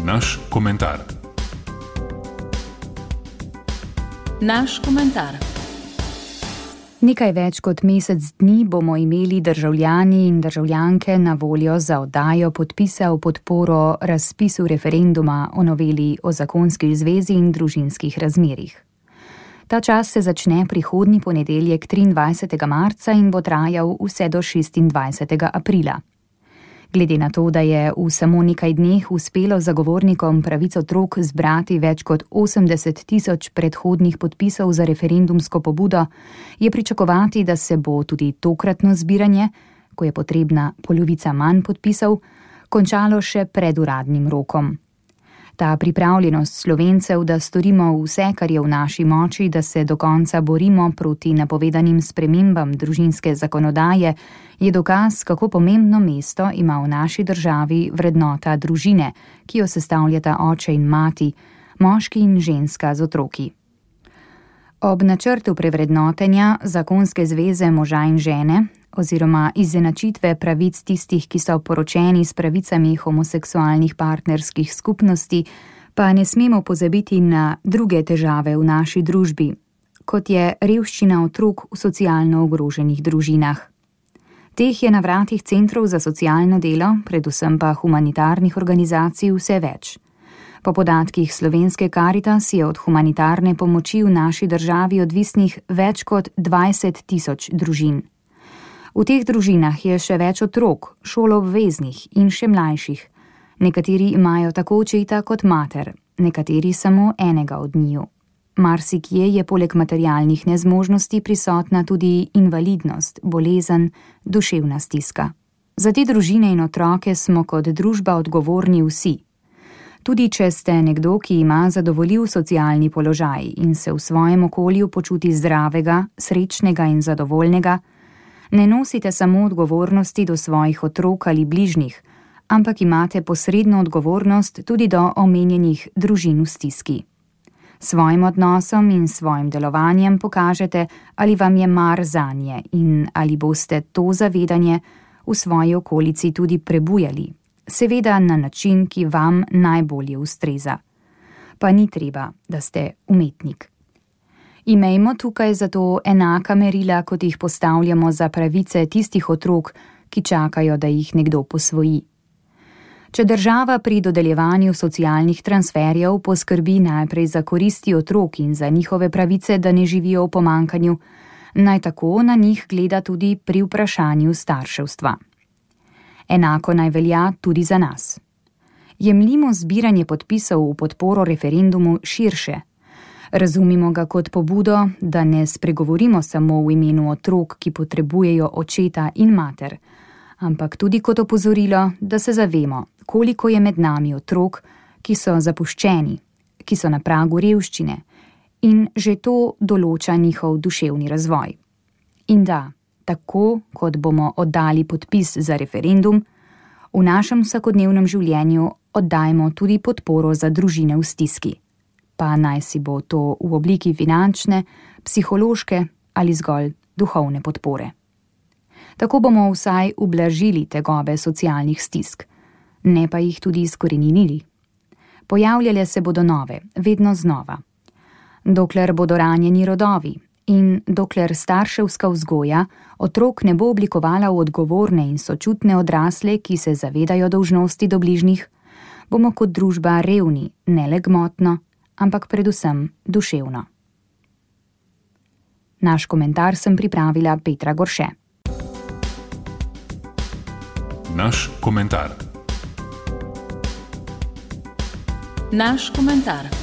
Naš komentar. Naš komentar. Nekaj več kot mesec dni bomo imeli državljani in državljanke na voljo za oddajo podpisa v podporo razpisu referenduma o noveli o zakonski zvezi in družinskih razmerjih. Ta čas se začne prihodnji ponedeljek 23. marca in bo trajal vse do 26. aprila. Glede na to, da je v samo nekaj dneh uspelo zagovornikom pravic otrok zbrati več kot 80 000 predhodnih podpisov za referendumsko pobudo, je pričakovati, da se bo tudi tokratno zbiranje, ko je potrebna polovica manj podpisov, končalo še pred uradnim rokom. Ta pripravljenost Slovencev, da storimo vse, kar je v naši moči, da se do konca borimo proti napovedanim spremembam družinske zakonodaje, je dokaz, kako pomembno mesto ima v naši državi vrednota družine, ki jo sestavljata oče in mati, moški in ženska z otroki. Ob načrtu prevrednotenja zakonske zveze moža in žene oziroma izenačitve pravic tistih, ki so poročeni s pravicami homoseksualnih partnerskih skupnosti, pa ne smemo pozabiti na druge težave v naši družbi, kot je revščina otrok v socialno ogroženih družinah. Teh je na vratih centrov za socialno delo, predvsem pa humanitarnih organizacij, vse več. Po podatkih Slovenske Karitas je od humanitarne pomoči v naši državi odvisnih več kot 20 000 družin. V teh družinah je še več otrok, šoloobveznih in še mlajših. Nekateri imajo tako očeta kot mater, nekateri samo enega od njiju. Marsikje je poleg materialnih nezmožnosti prisotna tudi invalidnost, bolezen, duševna stiska. Za te družine in otroke smo kot družba odgovorni vsi. Tudi če ste nekdo, ki ima zadovoljiv socialni položaj in se v svojem okolju počuti zdravega, srečnega in zadovoljnega, ne nosite samo odgovornosti do svojih otrok ali bližnjih, ampak imate posredno odgovornost tudi do omenjenih družin v stiski. Svojim odnosom in svojim delovanjem pokažete, ali vam je mar zanje in ali boste to zavedanje v svoji okolici tudi prebujali, seveda na način, ki vam najbolje ustreza. Pa ni treba, da ste umetnik. Imejmo tukaj zato enaka merila, kot jih postavljamo za pravice tistih otrok, ki čakajo, da jih nekdo posvoji. Če država pri dodeljevanju socialnih transferjev poskrbi najprej za koristi otrok in za njihove pravice, da ne živijo v pomanjkanju, naj tako na njih gleda tudi pri vprašanju starševstva. Enako naj velja tudi za nas. Jemljimo zbiranje podpisov v podporo referendumu širše. Razumimo ga kot pobudo, da ne spregovorimo samo v imenu otrok, ki potrebujejo očeta in mater, ampak tudi kot opozorilo, da se zavemo, koliko je med nami otrok, ki so zapuščeni, ki so na pragu revščine in že to določa njihov duševni razvoj. In da, tako kot bomo oddali podpis za referendum, v našem vsakodnevnem življenju oddajmo tudi podporo za družine v stiski. Pa naj si bo to v obliki finančne, psihološke ali zgolj duhovne podpore. Tako bomo vsaj ublažili tegobe socialnih stisk, ne pa jih tudi izkoreninili. Pojavljale se bodo nove, vedno znova. Dokler bodo ranjeni rodovi in dokler starševska vzgoja otrok ne bo oblikovala v odgovorne in sočutne odrasle, ki se zavedajo dolžnosti do bližnjih, bomo kot družba revni, ne le gmotno, ampak predvsem duševno. Naš komentar sem pripravila Petra Gorše. Naš komentar. Naš komentar.